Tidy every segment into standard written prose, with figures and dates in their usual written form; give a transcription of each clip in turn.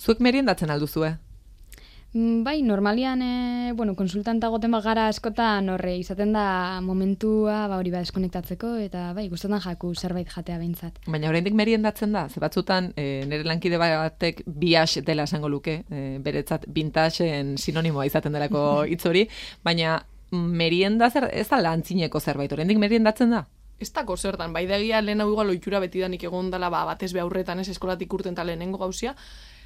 Zuek meriendatzen alduzue? Bai, normalian, konsultanta goten gara askotan horre izaten da momentua hori deskonektatzeko, eta bai, gustatzen jaku zerbait jatea behintzat. Baina oraindik meriendatzen da, ze batzutan nire lankide batek biax dela esango luke, beretzat vintagen sinonimoa izaten delako hitz hori, baina merienda ez da lantzineko zerbait, oraindik meriendatzen da? Ez dako zertan, bai degia lehen hau igual ohitura betidanik egon dela, batez be aurretan ez eskolatik urten ta lehenengo gauzia,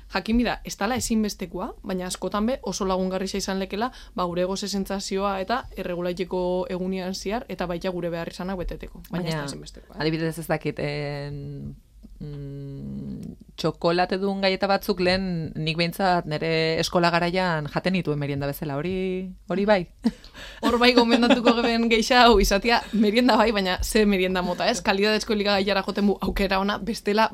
jakin bida, ez dala ezinbestekoa, baina askotan be oso lagungarria izan lekela, gure goze sentsazioa eta erregulaiteko egunian ziar, eta baita gure behar izanak beteteko. Baina ez da ezinbestekoa. Adibidez ez dakit, txokolate duen gaieta batzuk lehen nik behintzat nire eskola garaian jaten nituen merienda bezala, hori bai? Hor bai gomendatuko geben geixa hau izatea merienda bai, baina ze merienda mota, ez? Kalidadezko elikagaiara joten bu aukera ona, bestela,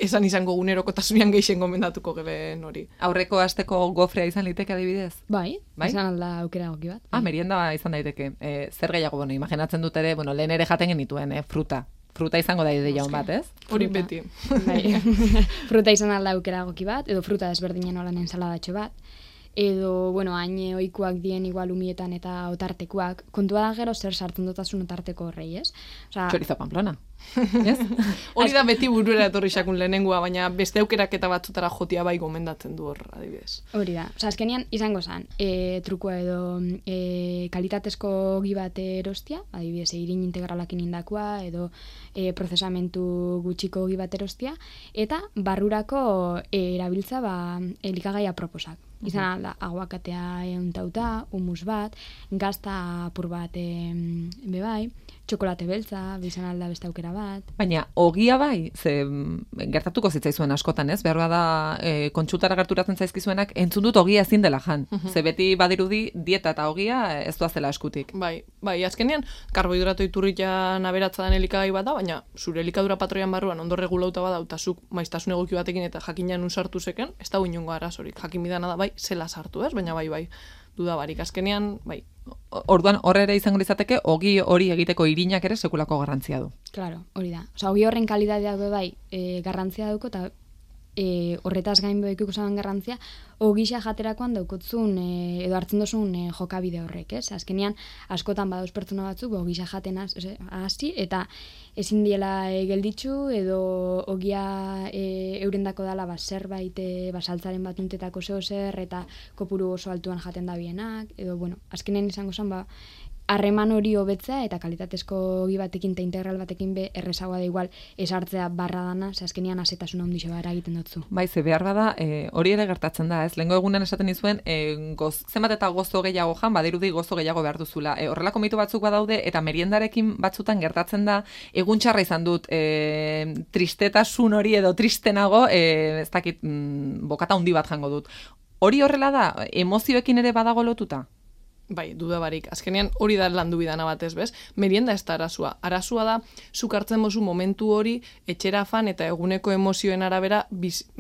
esan izango gunerokotasunean geixen gomendatuko geben hori. Aurreko asteko gofrea izan liteke adibidez? Bai? Izan alda aukera goki bat. Merienda izan daiteke. Zer gehiago, imaginatzen dut ere, lehen ere jaten genituen, fruta. Fruta izango da ideia bat, ez? Hori beti. Fruta izan alda aukera goki bat, edo fruta desberdinen olan ensaladatxo bat, edo, hain ohikoak dien igual umietan eta otartekoak, kontua da gero zer sartzen dutasun otarteko horrei, ez? Chorizo Pamplona. Yes? Hori da beti burura etorri xakun lehenengoa, baina beste aukerak eta batzutara jotia bai gomendatzen du hor, adibidez. Hori da. Azkenian izango zen, trukua edo kalitatezko ogi bat erostia, adibidez, irin integralakin indakoa, edo prozesamentu gutxiko ogi bat erostia, eta barrurako erabiltza elikagaia proposak. Izan da, aguakatea euntauta, humus bat, gazta apur bat bebai, txokolate beltza, bizan alda beste aukera bat. Baina, ogia bai, ze gertatuko zitzaizuen askotan, ez? Behar bada, kontsultara gerturatzen zaizkizuenak, entzun dut ogia ezin dela jan. Ze beti badirudi, dieta eta ogia ez doazela eskutik. Bai, azkenean, karbohidrato iturria naberatza den elikagai bat da, baina zure elikadura patroian barruan ondo regulauta bada, eta zuk maiztasun egoki batekin eta jakinan sartu zeken, ez da inongo arazorik. Jakin bidana da, bai, zela sartu, ez? Baina bai, dudabarik. Azkenean, bai. Orduan, horre ere izango izateke, ogi hori egiteko irinak ere sekulako garrantzia du. Claro, hori da. Ogi horren kalitateak bai garrantzia dauko, eta horretaz gain behikiko zaban garrantzia, ogisa jaterakoan daukotzun edo hartzen dozun jokabide horrek, ez? Azkenean, askotan badauz pertsona batzuk, ogisa jaten hasi, eta ezin diela gelditzu, edo ogia eurendako dala zerbait saltzaren bat untetako zer, eta kopuru oso altuan jaten da bienak, edo, azkenean izango zen, harreman hori hobetzea eta kalitatezko ogi batekin eta integral batekin errezagoa da igual esartzea barra dana, ze azkenean asetasuna ondixo gara egiten dutzu. Bai, ze behar bada, hori ere gertatzen da, ez? Lehengo egunen esaten izuen, zenbat eta gozo gehiago jan, badirudi gozo gehiago behar duzula. Horrelako mitu batzuk badaude, eta meriendarekin batzutan gertatzen da, egun txarra izan dut, tristetasun hori edo tristenago, ez dakit, bokata handi bat jango dut. Hori horrela da, emozioekin ere badago lotuta? Bai, dudabarik. Azkenean hori da landu bidana batez, bez? Merienda ez da arazua. Arazua da, zuk hartzen mozu momentu hori etxera fan eta eguneko emozioen arabera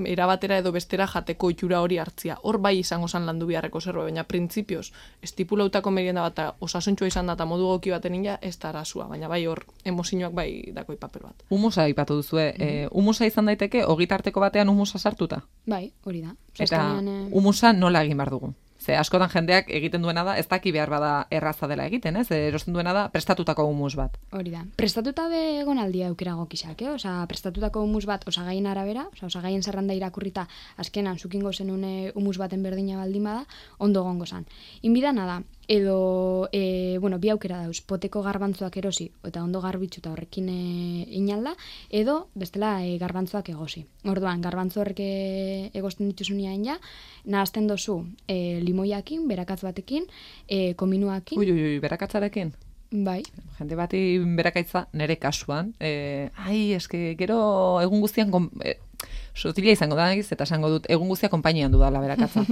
erabatera edo bestera jateko itxura hori hartzia. Hor bai izango zan landu biharreko zerbait, baina printzipioz, estipulautako merienda bat osasuntxoa izan da eta modu goki baten ina, ez da arazua. Baina bai hor, emozioak bai dakoi papel bat. Humusa ipatu duzue. Humusa izan daiteke, ogitarteko batean humusa sartuta? Bai, hori da. Eta humusa nola egin behar dugu? Ze askotan jendeak egiten duena da, ez daki behar bada erraza dela egiten, ez? Erosten duena da, prestatutako humus bat. Hori da. Prestatuta egon aldia aukera gokizak, prestatutako humus bat osagaien arabera, osagaien zerranda irakurrita, azkenan zukingo zenun humus baten berdina baldin bada, ondo gongo zan. Inbidana da, edo, bi aukera dauz, poteko garbantzuak erosi, eta ondo garbitzuta horrekin inalda, edo bestela garbantzuak egosi. Orduan, garbantzu horrek egosten dituzunean ja, nahazten dozu limoiakin, berakatz batekin, kominuakin. Ui, berakatzarekin? Bai. Jende bati berakaitza nere kasuan. Eske gero egun guztian sotila izango da, eta esango dut, egun guztia konpainian dudala berakatza.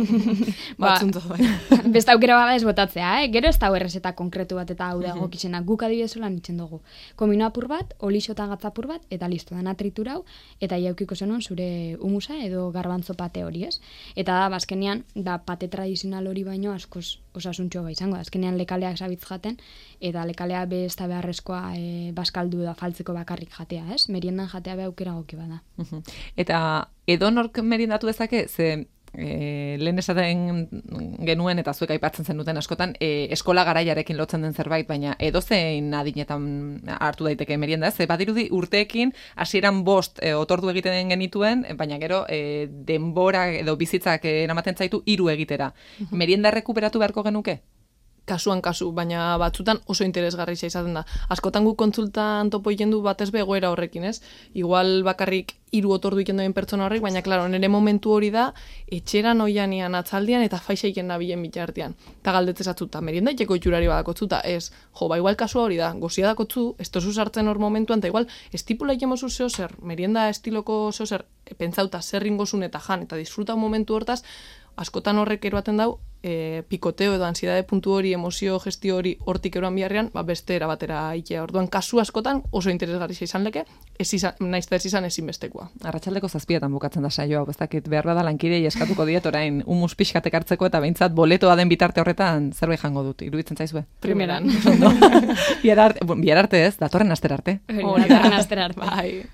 Batzunto, bai. Besta aukera bada ez botatzea, Gero ez da errezeta konkretu bat eta hau da gokizena. Guk adibidezola nitzen dugu. Komino apur bat, olixo eta gatzapur bat, eta listo, dana triturau, eta jaukiko zenuen zure humusa edo garbantzo pate hori, ez? Eta da, bazkenean, pate tradizional hori baino askoz osasuntxo izango. Azkenean lekaleak zabitz jaten, eta lekalea besta beharrezkoa baskaldu da faltzeko bakarrik jatea, ez? Meriendan jatea be aukera goki bada. Eta edonork meriendatu dezake, ze lehen esaten genuen eta zuek aipatzen zenuten askotan eskola garaiarekin lotzen den zerbait, baina edozein adinetan hartu daiteke merienda, ez? Badirudi urteekin hasieran 5 otordu egiten genituen, baina gero denbora edo bizitzak eramaten zaitu 3 egitera. Merienda rekuperatu beharko genuke? Kasuan kasu, baina batzutan oso interesgarria izaten da. Askotan gu kontsultan topo ikendu batez begoera horrekin, ez? Igual bakarrik 3 otordu ikenduen pertsona horrek, baina klaro, nire momentu hori da, etxeran oianian atzaldian eta faixa iken nabilen bitartean. Ta galdetzezatzuta, merienda itxeko itxurari badakotzuta, ez, igual kasua hori da, gozia dakotzu, ez tozu sartzen hor momentuan, eta igual, estipula ikemozu zeo zer, merienda estiloko zeo zer, pentsauta zer ringozun eta jan, eta disfruta momentu hortaz, askotan horrek eroaten dau, pikoteo edo ansiedade puntu hori, emozio gestio hori hortik eroan biharrean, beste erabatera ikea. Orduan, kasu askotan oso interesgarria izan leke, naiz ez izan ezinbestekoa. Arratsaldeko 7etan bukatzen da saio hau, ez dakit behar bada lankidei eskatuko diet orain humus pixkatek hartzeko eta behintzat boletoa den bitarte horretan zerbait jango dut, iruditzen zaizue? Primeran. Bihar arte ez, datorren astera arte. Datorren astera arte. Bai.